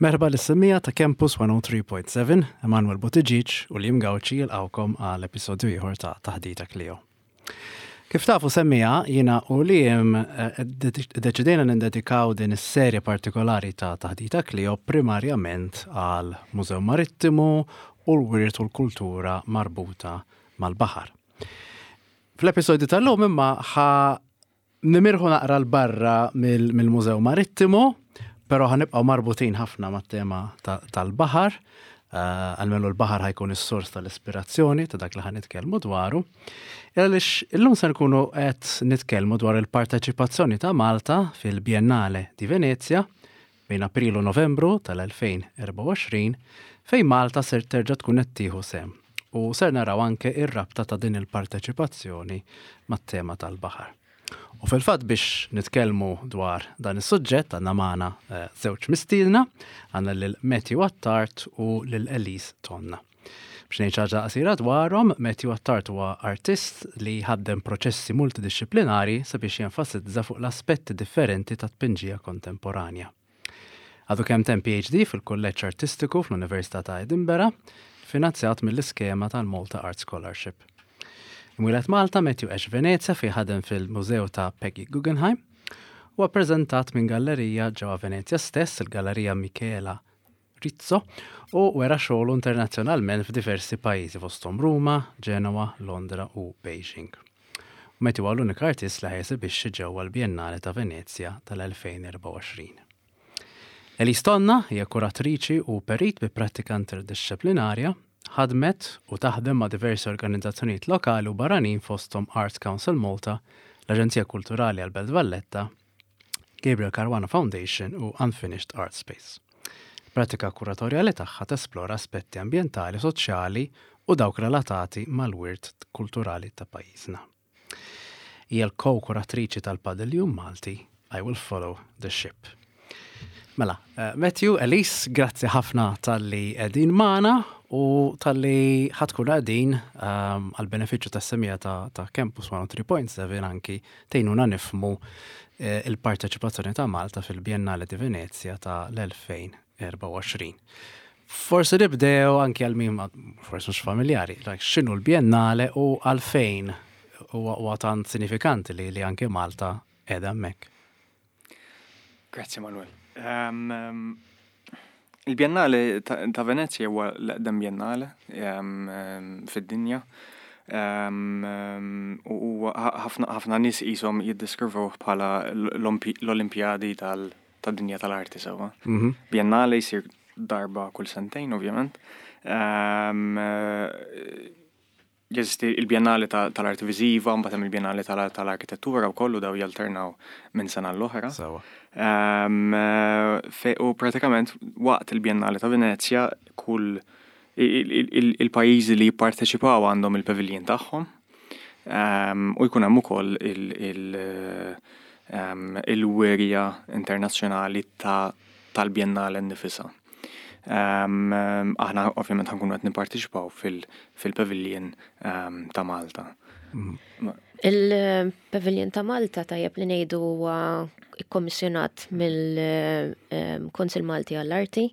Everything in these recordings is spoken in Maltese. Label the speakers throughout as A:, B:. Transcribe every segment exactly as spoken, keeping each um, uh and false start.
A: Merħba lis-semmiegħa ta' Campus mija u tlieta punt seba', Emanuel Buttigieg u Liam Gauci jilqgħukom għal episodju ieħor ta' Taħdita Klio. Kif tafu, semmiegħa, jiena u Liam eh, deċidejna nindedikaw din is-serje partikolari ta' Taħdita Klio primarjament għal Mużew Marittimu u l-wirt u l-kultura marbuta mal-baħar. Fl-episodju tal-lum imma ħa nimirħu naqra 'l barra mill-Mużew Marittimu, pero ħa nibqgħu marbutin ħafna mat-tema tal-baħar, uh, almenu l-baħar ħa jkun is-sors tal-ispirazzjoni ta' dak li ħa nitkellmu dwaru. Għaliex illum se nkunu qed nitkellmu dwar il-parteċipazzjoni ta' Malta fil-Biennale di Venezia bejn April u Novembru tal-elfejn u erbgħa u għoxrin, fejn Malta ser terġa' tkun qed tieħu sehem. U ser naraw anke ir-rabta ta' din il-parteċipazzjoni mat-tema tal-baħar. U fil-fatt, biex nitkellmu dwar dan is-suġġett, għandna magħna eh, żewġ mistiedna, għandna lil Matthew Attard u lil Elise Tonna. Biex ngħid ħaġa qasira dwarhom, Matthew Attard huwa artist li ħaddem proċessi multidisciplinari sabiex jenfasizza fuq l-aspetti differenti ta' tpinġija kontemporanja. Għadu kemm temm P H D fil-Kulleġġ Artistiku fl-Università ta' Edinburgh, finanzjat mill-iskema tal-Malta Art Scholarship. Imwieled Malta, Matthew għex Venezia fejn ħadem fil-Mużew ta' Peggy Guggenheim u rappreżentat minn gallerija ġewwa Venezia stess, il-Gallerija Michela Rizzo, u wera xogħlu internazzjonalment f'diversi pajjiżi, fosthom Ruma, Genoa, Londra u Beijing. Matthew huwa l-unika artist li ħa jesebixxi ġewwa l-Biennale ta' Venezia tal-elfejn u erbgħa u għoxrin. Elise Tonna hija kuratriċi u perit bi prattika interdisciplinarja. Ħadmet u taħdem ma' diversi organizzazzjonijiet lokali u barranin, fosthom Arts Council Malta, l-Aġenzija Kulturali għal Belt Valletta, Gabriel Caruana Foundation u Unfinished Art Space. Pratika kuratorjali tagħha tesplora aspetti ambjentali, soċjali u dawk relatati mal-wirt kulturali ta' pajjiżna. Hija l-ko-kuratriċi tal-Padiljun Malti I Will Follow the Ship. Mela, eh, Matthew, Elise, grazzi ħafna talli qegħdin magħna u talli ħa tkunu qegħdin um, għal-benefiċċju tas-semmiegħa ta', ta Campus mija u tlieta punt seba anki tgħinuna nifhmu eh, il-parteċipazzjoni ta' Malta fil-Biennale di Venezia ta' l-elfejn u erbgħa u għoxrin. Forsi nibdew anki għal min forsi mhux familjari, like, x'inhu l-Biennale u għalfejn huwa tant sinifikanti li, li anke Malta qiegħda hemmhekk?
B: Grazzi, Manuel. Um, um, il-Biennale ta', ta Venezia huwa l-eqdem biennale um, um, fid-dinja. Um, um, u ħafna ħafna nies qishom jiddeskrivuh bħala l-Olimpjadi tal-dinja tal-arti sewwa. Mm -hmm. Biennale jsir darba kull sentejn, ovvjament. Um, Jeżisti il-Biennale tal-Arti Viżiva, mbagħad hemm il-Biennale tal-Arkitettura u kollu, daw jalternaw minn sena l-oħra. U pratikament waqt il-Biennale ta' Venezia kull il-pajjiżi li jipparteċipaw għandhom il-pavilion tagħhom. U jkun hemm ukoll il-wirja internazzjonali tal-Biennale nnifisha. Aħna ovvjament ħa nkunu qed nipparteċipaw fil-pavilion ta' Malta.
C: Il-pavilion ta' Malta, tajjeb li ngħidu, huwa kkommissjonat mill-Kunsill Malti għall-Arti.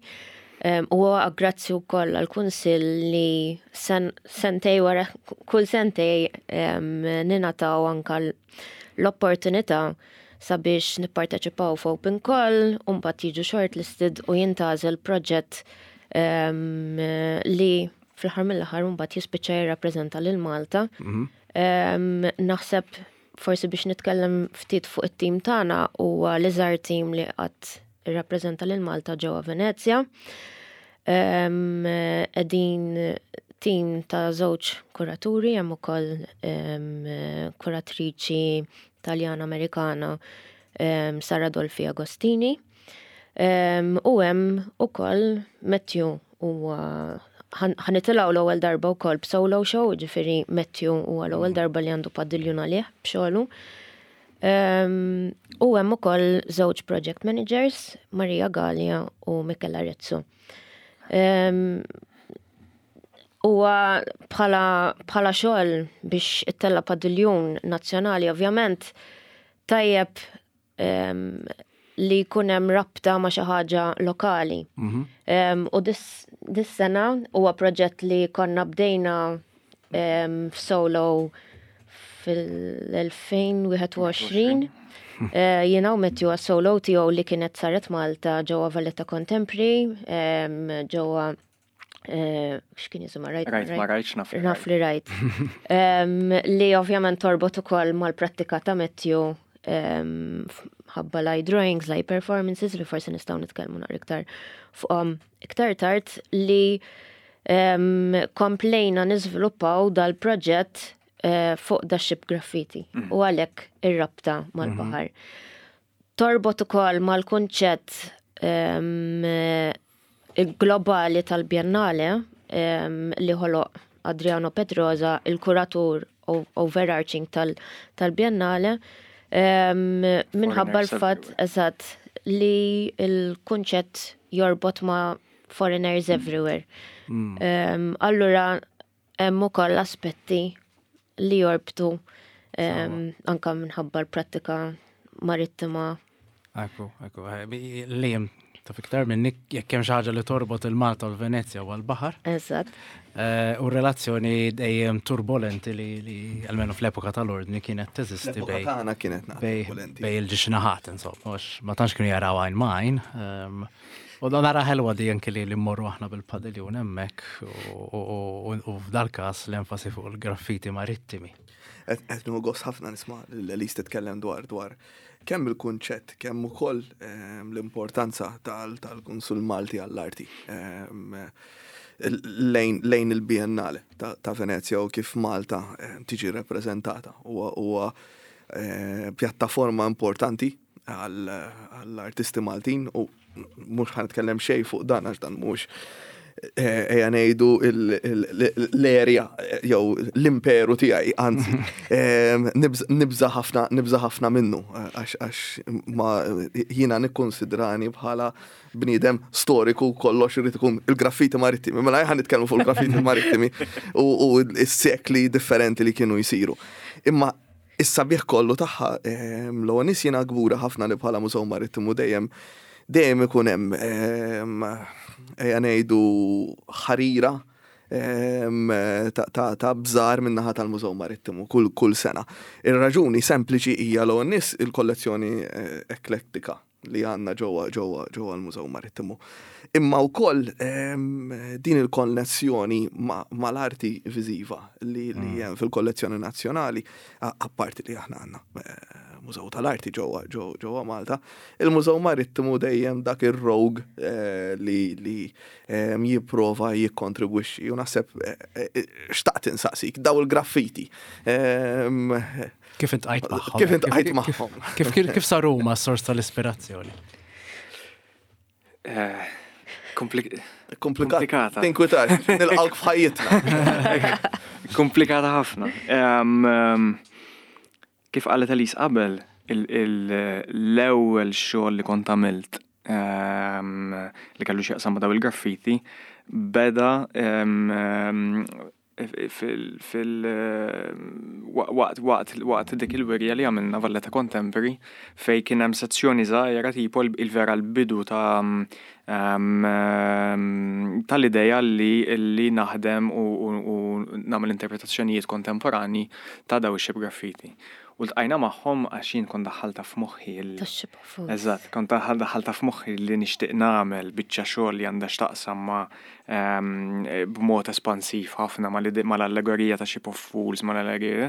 C: U grazzi wkoll għall-Kunsill li sentej wara kull sentej ningħataw anka l-opportunità sabiex nipparteċipaw f'open call u mbagħad jiġu shortlisted u jintgħażel proġett li fl-aħħar mill-aħħar mbagħad jispiċċa jirrappreżenta lil Malta. Mhm. Naħseb forsi biex nitkellem ftit fuq it-tim tagħna, huwa l-iżgħar tim li qatt irrappreżenta lil Malta ġewwa Venezja. Qegħdin tim ta' żewġ kuraturi, hemm ukoll kuratriċi Taljana Amerikana, Sara Dolfi Agostini. U hemm ukoll Matthew, huwa ħa nitilgħu l-ewwel darba wkoll b'solo show, ġifieri Matthew huwa l-ewwel darba li għandu padiljun għalih b'xogħlu. U hemm ukoll żewġ project managers, Maria Gallia u Michela Rezzo. Huwa bħala bħala xogħol biex ittella' padiljun nazzjonali, ovvjament tajjeb li jkun hemm rabta ma' xi ħaġa lokali.
A: Mhm.
C: Um, u dis-sena huwa proġett li konna bdejna um, f'solo fil-elfejn u wieħed u għoxrin. Uh, Jiena u Matthew solo tiegħu li kienet saret Malta ġewwa Valletta Contemporary, um, ġewwa uh, x'kien jisimha, Rajt?
B: Rajt ma rajtx, naf li.
C: Naf li rajt. Um, li ovvjament torbot ukoll mal-prattika ta' Matthew um, ħabba light drawings, light performances li forsi nistgħu nitkellmu naqra iktar fuqhom iktar tard, li um, komplejna niżviluppaw dal-proġett uh, fuq da ship graffiti u għalhekk ir-rabta mal-baħar. Torbot ukoll mal-kunċett um, globali tal-Biennale um, li ħoloq Adriano Pedrosa, il-kuratur overarching tal-Biennale, um, minħabba l-fatt eżatt li il-kunċett jorbot ma' foreigners everywhere.
A: Mm.
C: Um, allura hemm ukoll aspetti li jorbtu um, anka minħabba l-prattika marittima.
A: Ekku, ekku, li jem taf iktar minni, jekk hemm xi ħaġa li torbot il-Malta u l-Venezja u l-baħar.
C: Eżatt.
A: Eh, u relazzjoni dejjem turbolenti li, li almenu fl-epoka tal-ordni kienet teżisti
D: L-epoka
A: bej
D: tagħna kienet
A: bej
D: turbulenti.
A: bej il-ġixnaħat, insomma, għax ma tantx kienu jaraw għajn ma' għajn. Ehm, U dan nara ħelwa di anke li li mmorru aħna bil-padiljun hemmhekk u- u u- u f'dal-każ l-enfasi fuq il-graffiti marittimi.
D: Qed nieħu gost ħafna nisma' lil titkellem dwar dwar kemm il-kunċett, kemm ukoll ehm, l-importanza tal- tal-Kunsill Malti għall-Arti ehm, lejn lejn il-Biennale ta' ta' Venezia u kif Malta ehm, tiġi rappreżentata. Huwa huwa eh, pjattaforma importanti għall-artisti Maltin u mhux ħa nitkellem xejn fuq dan għax dan mhux eh, ejja ngħidu l-area jew l-imperu tiegħi, anzi em, nibż- nibża ħafna nibża ħafna minnu għax għax ma jiena nikkonsidrani bħala bniedem storiku, kollox irid ikun il-graffiti marittimi. Mela ħa nitkellmu fuq il-graffiti marittimi u u s-sekli differenti li kienu jsiru. Imma is-sabiħ kollu tagħha, em, l nies, jiena kbura ħafna li bħala Mużew Marittimu dejjem dejjem ikun hemm em, ejja ngħidu ħarira em, ta' ta' ta' bżar min-naħa tal-Mużew Marittimu kull kull sena. Ir-raġuni sempliċi hija l nies il-kollezzjoni eh, eklektika li għandna ġewwa ġewwa ġewwa l-Mużew Marittimu. Imma wkoll em, din il-konnessjoni ma- mal-arti viżiva li li hemm fil-kollezzjoni nazzjonali, a- apparti li aħna għandna eh, Mużew tal-Arti ġewwa ġewwa ġewwa Malta, il-Mużew Marittimu dejjem dak ir-rogue eh, li li em, jipprova jikkontribwixxi. U naħseb eh, eh, xtaqt insaqsik daw il-graffiti. Em,
A: Kif iltqajt magħhom?
D: Kif iltqajt magħhom?
A: Kif kif kif saru huma s-sors tal-ispirazzjoni?
B: Eh, komplik-
D: Komplikat.
B: Komplikata.
D: Tinkwitax, nilqawk f'ħajjitna.
B: Komplikata ħafna. Em, em, Kif qalet Elise qabel, il- il- l-ewwel xogħol li kont għamilt em, li kellu x'jaqsam ma' daw il-graffiti beda em, em, fil fil waqt waqt waqt dik il-wirja li għamilna Valletta Contemporary, fej kien hemm sezzjoni żgħira tipo il-vera l-bidu ta' em, em, tal-ideja li li naħdem u, u, u nagħmel interpretazzjonijiet kontemporani ta' daw ix-ship graffiti. U ltqajna magħhom għax jien kont daħħalta f'moħħi il-
C: Tax-ship of fools.
B: Eżatt, kont daħħal daħħalta f'moħħi li nixtieq nagħmel biċċa xogħol li għandha x'taqsam ma' em, b'mod espansiv ħafna mal- mal-allegorija ta' Ship of Fools, mal-allegorija.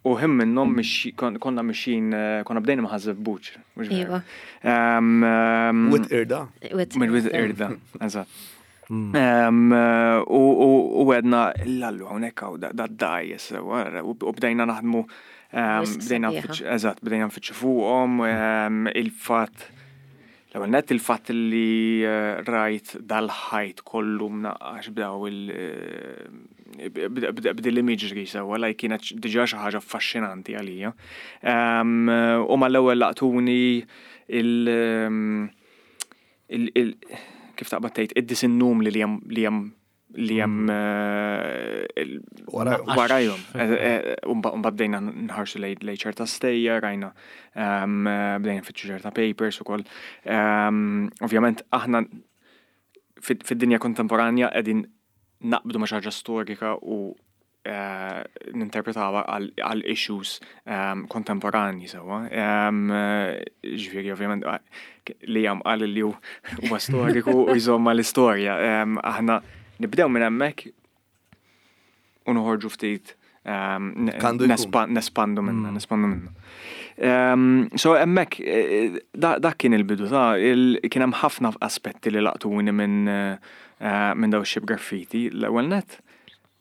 B: U ħin minnhom mixi- kon- konna mixin, eh, konna bdejna ma' Ħaż-Żebbuġ. Mhux veru?
C: Iva.
B: Em, em,
D: Wied Qirda.
C: With
B: Minn Wied Qirda, eżatt. Em, eh, U u- u għedna, l-allu hawnhekk hawn da dajjes, u u bdejna naħdmu, em,
C: Wisq
B: bdejna
C: sabiħa.
B: nfittxu, eżatt, bdejna nfittxu fuqhom, em, il-fatt l-ewwel nett il-fatt li eh, rajt dal-ħajt kollu mnaqqax b'daw il eh, b'dil l-imagery sewwa, like kienet diġà xi ħaġa affaxxinanti għalija. Em, U mal-ewwel laqtuni il- em, il- il- kif taqbad tgħid id-disinnum li hemm li hemm li hemm eh, il-
D: Warajhom.
B: warajhom. Eh, eh, U mbagħad bdejna nħarsu lejn lejn ċerta stejjer, rajna ehm, eh, bdejna nfittxu ċerta papers ukoll. Ehm, Ovvjament aħna fid- fid-dinja kontemporanja qegħdin naqbdu ma' xi ħaġa storika u eh, ninterpretawha għal għal issues ehm, kontemporanji sewwa. Ehm, eh, Ġifieri ovvjament eh, li jam qal li hu huwa storiku u jżomm mal-istorja. Ehm, Aħna nibdew minn hemmhekk u noħorġu ftit ehm, ne-
D: Kandu jkun.
B: nespa- nespandu minna, nespandu minna. Um, so hemmhekk, eh, da- dak kien il-bidu ta' il, kien hemm ħafna aspetti li laqtuni minn eh, minn daw ship graffiti. L-ewwel net,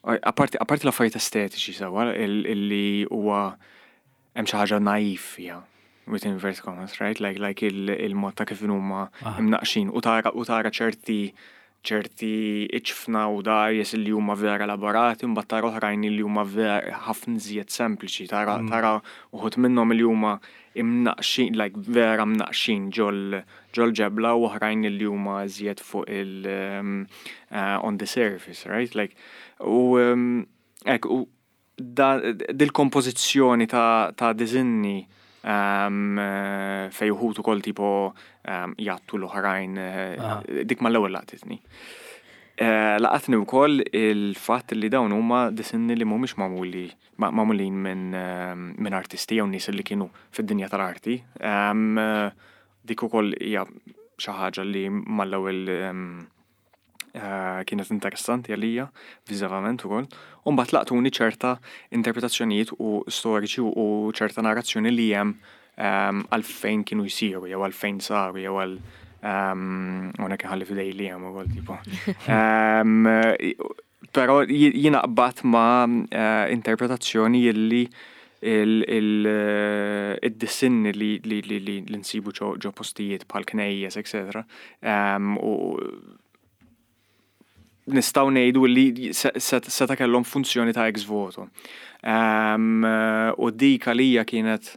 B: apparti apparti l-affarijiet estetiċi sewwa, il- illi huwa hemm xi ħaġa naif fiha. With inverted commas, right? Like, like il- il-mod ta' kif huma imnaqxin u tara u tara ċerti ċerti iċfna u dgħajjes li huma vera elaborati, mbagħad tara oħrajn li huma vera ħafna iżjed sempliċi, tara tara uħud minnhom li huma imnaqxin, like vera mnaqxin ġol ġol ġebla u oħrajn li huma iżjed fuq il um, uh, on the surface, right? Like u um, hekk u da, dil-kompożizzjoni ta', ta' disinni um, eh, fej uħud ukoll tipo um, jgħattu l-oħrajn, eh, dik mal-ewwel laqtitni. Eh, Laqatni wkoll il-fatt li dawn huma disinni li mhumiex magħmuli ma- magħmulin minn ehm, minn artisti jew nies li kienu fid-dinja tal-arti. Um, eh, dik ukoll hija xi ħaġa li mal-ewwel um, eh, kienet interessanti għalija viżivament ukoll. U mbagħad laqtuni ċerta interpretazzjonijiet u storiċi u ċerta narrazzjoni li hemm um, għalfejn kienu jsiru jew għalfejn saru jew għal um, hawnhekk ħalli f'idej li hemm ukoll tipo. Um, Però jiena qbadt ma' eh, interpretazzjoni illi il-disinni li li li li li nsibu ġo ġo postijiet bħal knejjes, etc. Um, u nistgħu ngħidu li se- se- seta kellhom funzjoni ta' ex voto. Um, u dik għalija kienet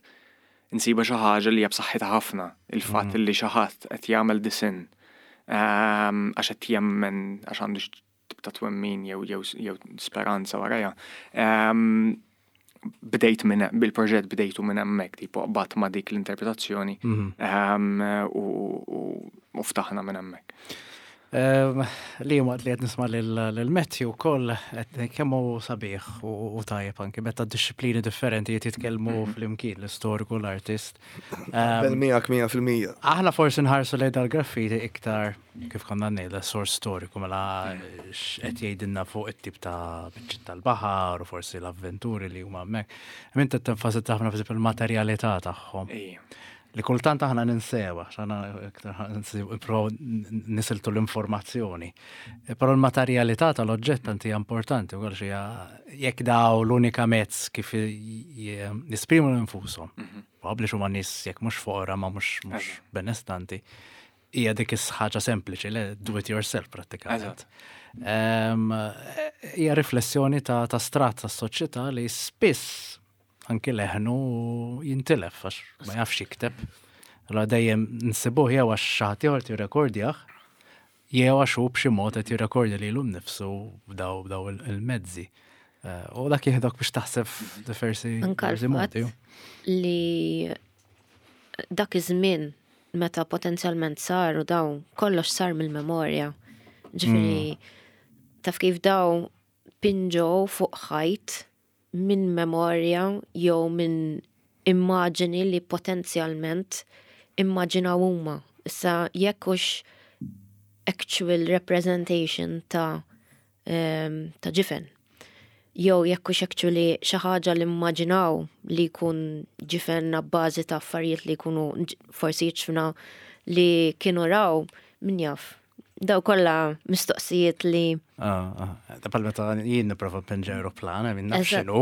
B: insiba xi ħaġa li hija b'saħħitha ħafna, il-fatt li xi ħadd qed jagħmel disinn um, għax qed jemmen għax għandu xi tip ta' twemmin jew jew jew speranza warajha. Um, bdejt minn bil-proġett bdejtu minn hemmhekk, tipo qbadt ma' dik l-interpretazzjoni um, u, u, u ftaħna minn hemmhekk.
A: Ehm, Li waqt li qed nisma' lil Matthew ukoll qed kemm hu sabiħ u u tajjeb anke meta disċiplini differenti qed jitkellmu flimkien l-istoriku l-artist. Ehm,
D: Bel miegħek mija fil-mija.
A: Aħna forsi nħarsu lejn dal-graffiti iktar kif konna ngħidha sors storiku mela x'qed jgħidilna fuq it-tip ta' biċċiet tal-baħar u forsi l-avventuri li huma hemmhekk. Imma inti tenfasizza ħafna per il-materjalità tagħhom.
B: Ejja.
A: Li kultant aħna ninsewa, x'aħna iktar nipprovaw nisiltu l-informazzjoni. E, Però l-materjalità tal-oġġett tanti hija importanti, u xi jekk daw l-unika mezz kif j- jesprimu nfushom. Probabbli huma nies jekk mhux foqra ma mhux mhux benestanti. Hija dik is-ħaġa sempliċi, le do it yourself prattikament. Ehm, Hija riflessjoni ta' ta' strat ta' soċjetà li spiss anki leħnu jintilef għax ma jafx jikteb. Allora dejjem nsibuh jew għax xi ħadd ieħor jirrekordjah, jew għax hu b'xi mod qed jirrekordja lilu nnifsu b'daw b'daw il- il-mezzi. Eh, U dak jieħdok biex taħseb f'diversi
C: Anka
A: diversi
C: l-fatt
A: modi.
C: li dak iż-żmien meta potenzjalment saru dawn kollox sar mill-memorja. Ġifieri taf kif daw pinġew fuq ħajt minn memorja jew minn immaġini li potenzjalment immaġinaw huma. Issa jekk hux actual representation ta' em, ta' ġifen. Jew jekk hux actually xi ħaġa li immaġinaw li jkun ġifen bażi ta' affarijiet li jkunu ġ- forsi jiġfna li kienu raw min jaf. Daw kollha mistoqsijiet li
A: Ah, ah. Ta' pal meta jien nipprova npinġi aeroplan, minn naf
C: Eżatt.
A: x'inhu.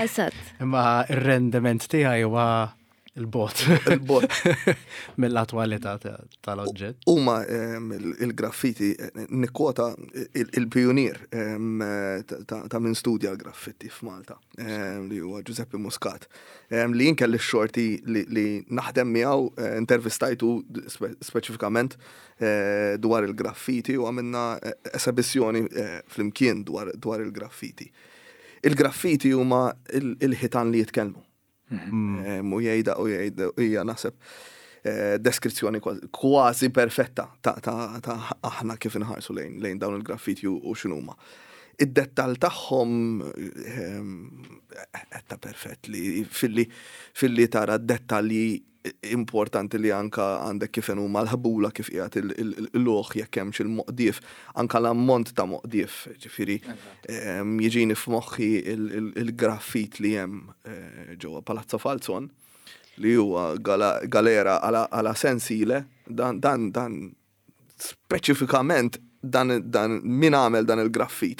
C: Eżatt.
A: Imma ir-rendiment tiegħi huwa Il-bot.
D: Il-bot.
A: Mill-attwalità tal-oġġett.
D: Huma il-graffiti, nikkwota il-pionier ta' min studja l-graffiti f'Malta, li huwa Giuseppe Muscat, li jien kelli x-xorti li naħdem miegħu, intervistajtu speċifikament dwar il-graffiti u għamilna esibizzjoni flimkien dwar il-graffiti. Il-graffiti huma il-ħitan li jitkellmu. U jgħida u jgħida hija naħseb deskrizzjoni kważi perfetta ta' aħna kif inħarsu lejn dawn il-graffiti u x'inhuma. Id-dettal tagħhom ta' perfett li filli tara dettalji importanti li anka għandek kif huma l-ħbula, kif qiegħed il-luħ, jekk hemmx il-moqdief, anka l-ammont ta' moqdief, ġifieri jiġini f'moħħi il-graffit li hemm ġewwa Palazzo Falzon, li huwa galera għala sensile, dan dan dan speċifikament dan dan min għamel dan il-graffit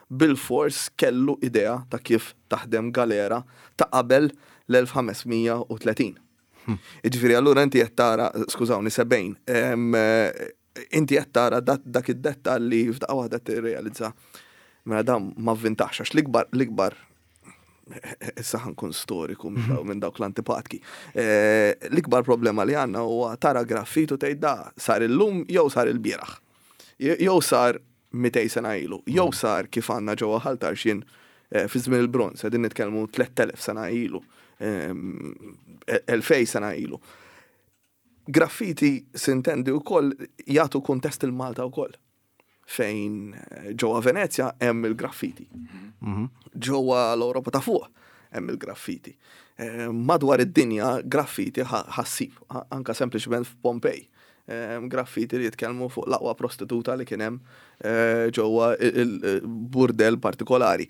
D: bil-fors kellu idea ta' kif taħdem galera ta' qabel l-elf ħames mija u tletin. Ġifieri allura inti qed tara, skużawni, sebgħin, inti qed tara dak id-dettal li f'daqqa waħda tirrealizza mela dan ma vvintax, għax l-ikbar l-ikbar issa ħa nkun storiku minn dawk l-antipatki. L-ikbar problema li għandna huwa tara graffitu tgħid da sar illum jew sar il-bieraħ. Jew sar mitejn sena ilu, jew sar kif għandna ġewwa Ħal Tarxien fi żmien il-bronz, qegħdin nitkellmu tlett elef sena ilu, elfejn sena ilu. Graffiti sintendi wkoll jagħtu kuntest il-Malta wkoll. Fejn ġewwa Venezja hemm il-graffiti. Ġewwa l-Ewropa ta' fuq hemm il-graffiti. Madwar id-dinja graffiti ħa ssib, anka sempliċement f'Pompej. Graffiti li jitkellmu fuq l-aqwa prostituta li kien hemm ġewwa il-burdel partikolari.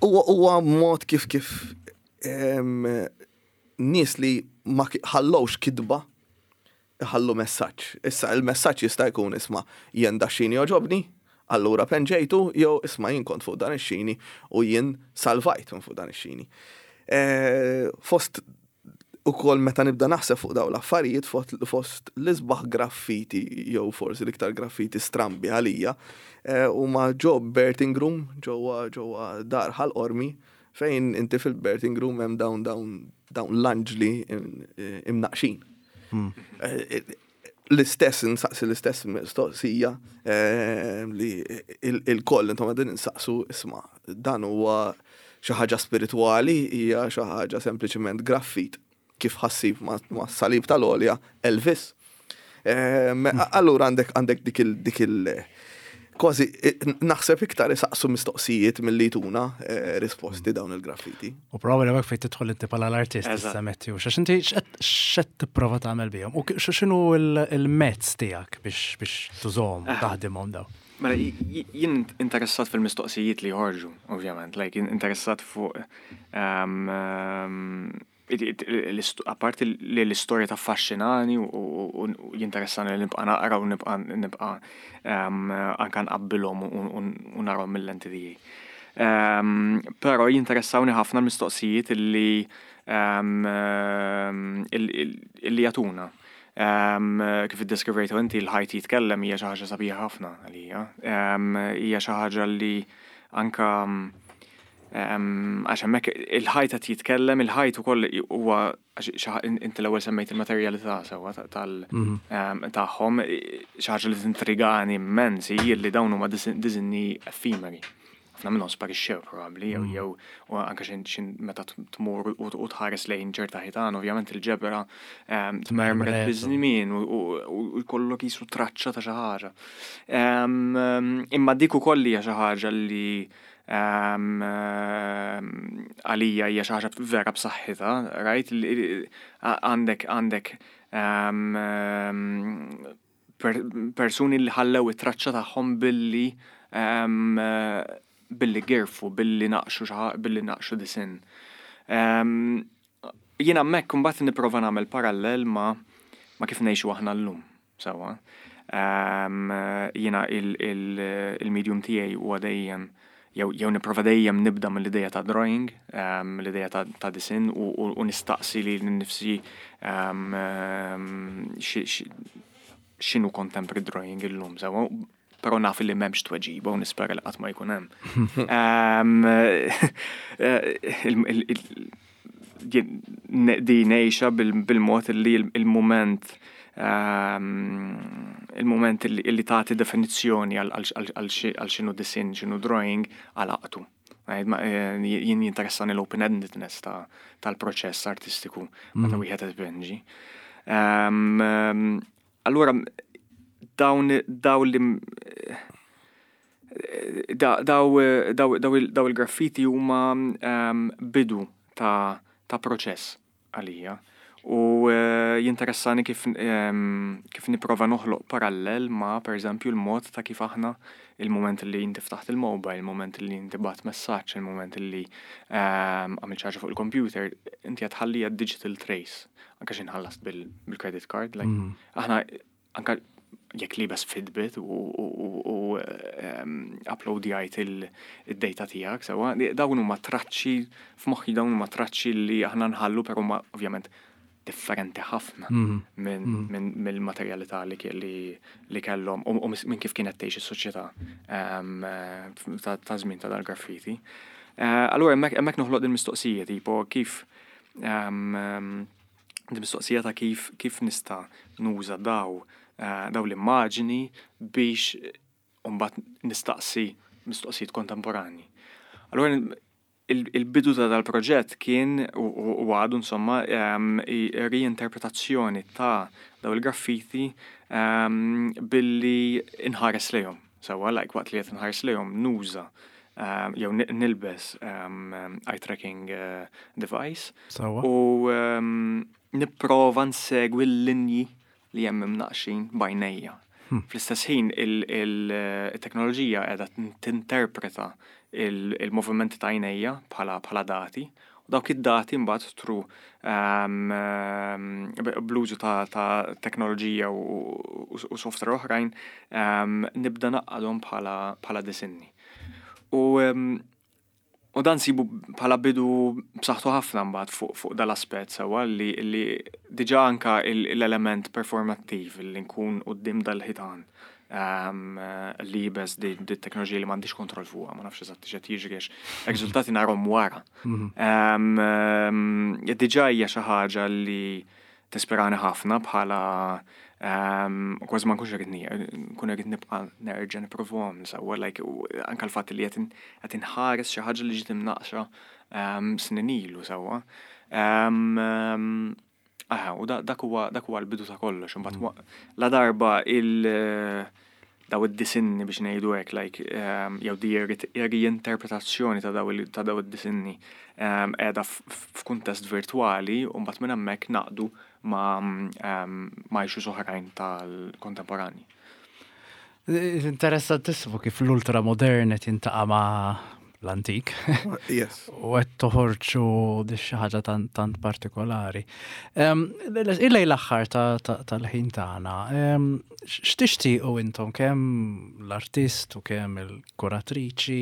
D: Huwa mod kif kif nies li ma ħallowx kitba ħallu messaġġ. Issa il-messaġġ jista' jkun, isma', jien da xini joġobni, allura penġejtu, jew isma', jien kont fuq dan ix-xini u jien salvajt minn fuq dan ix-xini. Fost ukoll meta nibda naħseb fuq dawn l-affarijiet, fost l-isbaħ graffiti jew forsi l-iktar graffiti strambi għalija huma ġo birthing room ġewwa ġewwa dar Ħal Qormi, fejn inti fil-birthing room hemm dawn dawn dawn l-anġli imnaqxin. L-istess, nsaqsi l-istess mistoqsija li il-koll intom qegħdin insaqsu, isma', dan huwa xi ħaġa spiritwali, hija xi ħaġa sempliċement graffit kif ħa ssib ma' salib tal-olja Elvis. Allura għandek għandek dik il dik il kważi naħseb iktar isaqsu mistoqsijiet milli tuna risposti dawn il-graffiti.
A: U probabbli hemmhekk fejn tidħol inti bħala l-artist issa, Matthew, x'għax inti x'qed tipprova tagħmel bihom u x'inhu il-mezz tiegħek biex biex tużahom, taħdimhom daw?
B: Mela, jien interessat fil-mistoqsijiet li joħorġu, ovvjament, like interessat fuq apparti li l-istorja taffaxxinani u jinteressani li nibqa' naqra u nibqa' nibqa' anka nqabbilhom u narahom mill-lenti tiegħi. Però jinteressawni ħafna l-mistoqsijiet illi illi jagħtuna. Kif iddeskrivejtu inti, l-ħajt jitkellem hija xi ħaġa sabiħa ħafna għalija. Hija xi ħaġa li anka għax hemmhekk il-ħajt qed jitkellem, il-ħajt ukoll huwa, inti l-ewwel semmejt il-materjalità sewwa tal tagħhom, xi ħaġa li tintrigani immens hi li dawn huma disinni effimeri. Ħafna minnhom sparixxew probabbli jew jew u anke xin meta tmur u tħares lejn ċerta ħitan, ovvjament il-ġebra tmermret biż-żmien u jkollok qisu traċċa ta' xi ħaġa. Imma dik ukoll hija xi ħaġa li għalija hija xi ħaġa vera b'saħħitha, right? Għandek għandek persuni li ħallew it-traċċa tagħhom billi billi girfu, billi naqxu billi naqxu disinn. Jiena hemmhekk imbagħad nipprova nagħmel parallel ma' ma' kif ngħixu aħna llum, sewwa. Jiena il-medium tiegħi huwa dejjem jew jew nipprova dejjem nibda mill-idea ta' drawing, um, l-idea ta', ta' disinn u, u, u nistaqsi lili nnifsi um, um, xi- xi- x'inhu contemporary drawing illum, sewwa, però naf li m'hemmx tweġiba u nispera li qatt ma jkun hemm. Um, eh, il- il- il- jien ne- di ngħixha bil- bil-mod li il- il-moment um, il-moment li li tagħti definizzjoni għal- għal għal- għal xi- għal x'inhu disinn, x'inhu drawing, għalaqtu. Għid, ma- eh, Jien jinteressani l-open-endedness ta' tal-proċess artistiku meta wieħed qed ipinġi. Um, um, Allura dawn daw li da- daw daw daw il- daw il-graffiti huma um, bidu ta' ta' proċess għalija. U eh, jinteressani kif, um, kif nipprova noħloq parallel ma' per eżempju l-mod ta' kif aħna il-moment li inti ftaħt il-mobile, il-moment li inti bgħatt messaġġ, il-moment li um, għamilt xi ħaġa fuq il-computer, inti qed tħalli digital trace, anka x'ħin ħallast bil- bil-credit card, like, aħna anka jekk liebes Fitbit u, u, u, u um, uploadjajt il-data tiegħek, sewwa, dawn huma traċċi, f'moħħi dawn huma traċċi li aħna nħallu, però huma ovvjament differenti ħafna minn min, mill-materjalità li, li, li kellhom u, u minn kif kienet tgħix is-soċjetà um, ta' ta' żmien ta' dal-graffiti. Uh, allura hemmhekk hemmhekk noħloq din mistoqsija tipo kif um, um, din mistoqsija ta' kif kif nista' nuża daw uh, daw l-immaġini biex mbagħad nistaqsi mistoqsijiet kontemporani. Allura il- il-bidu ta' dal-proġett kien u u- u għadu insomma um, i- reinterpretazzjoni ta' daw il-graffiti um, billi inħares lejhom. Sewwa, like waqt li qed inħares lejhom nuża um, jew ni- nilbes um, eye tracking uh, device
A: Sewwa.
B: u um, nipprova nsegwi l-linji li hemm imnaqxin b'għajnejja. Fl-istess ħin il-teknoloġija qiegħda tinterpreta il- il-movimenti ta' għajnejja bħala bħala dati u dawk id-dati mbagħad through um, um, bl-użu ta', ta' teknoloġija u, u, u software oħrajn um, nibda ngħaqqadhom bħala bħala disinni. U um, U dan sibu bħala bidu b'saħħtu ħafna mbagħad fuq fuq dal-aspett sewwa li li diġà anka il- l-element performattiv li nkun quddiem dal-ħitan um, liebes di, di teknoloġija li m'għandix kontroll fuqha, ma nafx eżatt x'qed jiġri għax riżultati narahom wara. Um, um, diġà hija xi ħaġa li tispirani ħafna bħala um, kważi ma nkunx irrid nkun irrid nibqa' nerġa' nipprovahom sewwa like u anke l-fatt li qed qed inħares xi ħaġa li ġiet imnaqxa um, snin ilu sewwa. Um, um, Aha, u da- dak huwa dak huwa l-bidu ta' kollox, imbagħad wa- la darba il daw id-disinni biex ngħidu hekk, like um, jew di reinterpretazzjoni ta' daw il- ta' daw id-disinni um, qiegħda f- f'kuntest virtwali u mbagħad minn hemmhekk naqdu ma' um, ma' issues oħrajn tal-kontemporani.
A: Interessantissimo kif l-ultramodern qed jiltaqa' ma' l-antik.
D: Yes.
A: U qed toħorġu di xi ħaġa tant, tant partikolari. Um, Illej l-aħħar tal-ħin tagħna, um, x'tixtiequ intom kemm l-artist u kemm il-kuratriċi,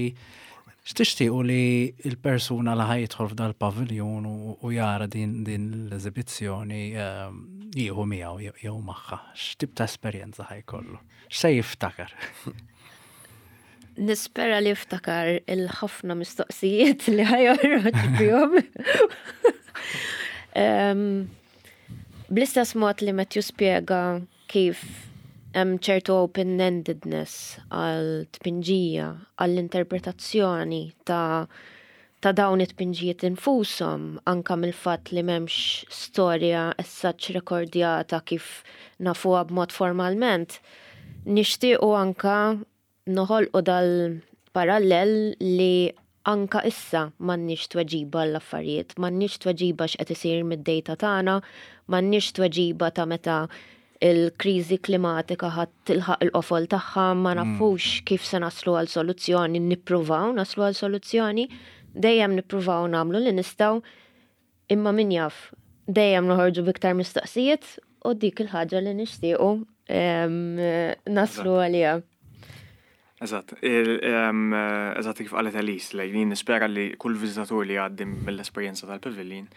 A: x'tixtiequ li il-persuna li ħa jidħol f'dal-paviljun u, u jara din, din l-eżibizzjoni um, jieħu miegħu jew- jew magħha, x'tip ta' esperjenza ħa jkollu? X'se jiftakar?
C: Nispera li jiftakar il-ħafna mistoqsijiet li ħa joħroġ bihom. Em, Bl-istess mod li Matthew spiega kif hemm ċertu open-endedness għal tpinġija, għall-interpretazzjoni ta' ta' dawn it-tpinġijiet infushom, anka mill-fatt li m'hemmx storja as such rekordjata kif nafuha b'mod formalment, nixtiequ anka noħolqu dal-parallel li anka issa m'għandniex tweġiba l-affarijiet, m'għandniex tweġiba x'qed isir mid-data tagħna, m'għandniex tweġiba ta' meta il-kriżi klimatika ħa tilħaq il-qofol tagħha, ma nafux kif se naslu għal soluzzjoni, nippruvaw naslu għal soluzzjoni, dejjem nippruvaw nagħmlu li nistgħu, imma min jaf, dejjem noħorġu biktar mistoqsijiet u dik il-ħaġa li nixtiequ em, naslu għaliha.
B: Eżatt, eżatt kif qalet Elise, li jien nispera li kull viżitatur li jgħaddi mill-esperjenza tal-pavilion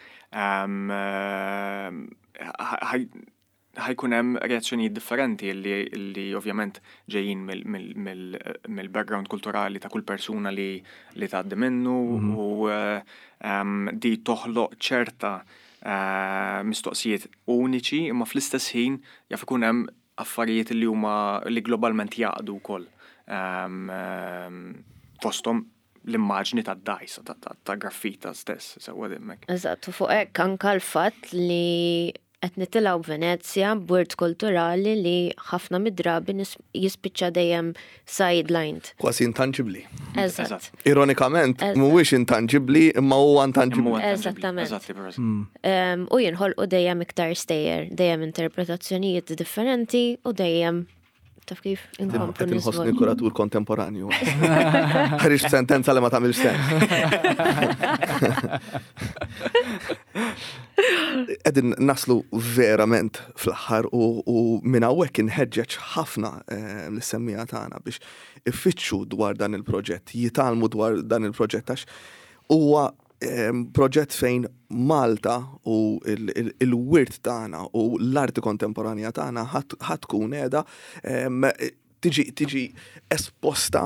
B: ħa jkun hemm reazzjonijiet differenti li, li ovvjament ġejjin mill-background kulturali ta' kull persuna li, li tgħaddi minnu mhm. u um, di toħloq ċerta uh, mistoqsijiet uniċi, imma fl-istess ħin jaf ikun hemm affarijiet li huma li globalment jaqdu wkoll. Um, um, fosthom l-immaġni ta' dajsa, ta' graffita stess, sewwa dimmek.
C: Eżatt, u fuq hekk anka l-fatt li qed nitilgħu Venezja b'wirt kulturali li ħafna mid-drabi jispiċċa dejjem sidelined.
D: Kważi intangibli.
C: Eżatt.
D: Ironikament, mhuwiex intangibli imma huwa intangibli.
C: Eżattament. Mm. U jinħolqu dejjem iktar stejjer, dejjem interpretazzjonijiet differenti u dejjem, taf kif,
D: inkomplu. Qed inħossni kuratur kontemporanju. Ħriġt sentenza li ma tagħmilx sens. Qegħdin naslu verament fl-aħħar u, u minn hawnhekk inħeġġeġ ħafna eh, lis-semmiegħa tagħna biex ifittxu dwar dan il-proġett, jitgħallmu dwar dan il-proġett, għax huwa proġett fejn Malta u il-wirt tagħna u l-arti kontemporanja tagħna ħa tkun qiegħda tiġi tiġi esposta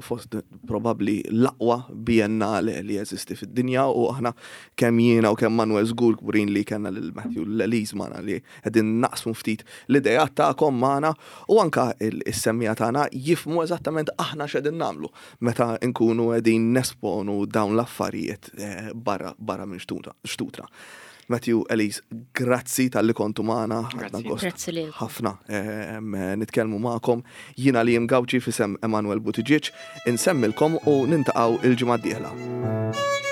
D: fost probabbli l-aqwa biennale li jeżisti fid-dinja, u aħna, kemm jiena u kemm Manuel, żgur kburin li kellna lil Matthew, l-Elise magħna, li qegħdin naqsmu ftit l-idejat tagħkom magħna u anka is-semmiegħa tagħna jifhmu eżattament aħna x'qegħdin nagħmlu meta nkunu qegħdin nesponu dawn l-affarijiet eh, barra barra minn xtutna. Matthew, Elise, grazzi talli kontu magħna.
C: Grazzi li.
D: Ħafna nitkellmu magħkom. Jiena li Gawċi f'isem Emanuel Buttigieg, insemmilkom u niltaqgħu il-ġimgħa d-dieħla.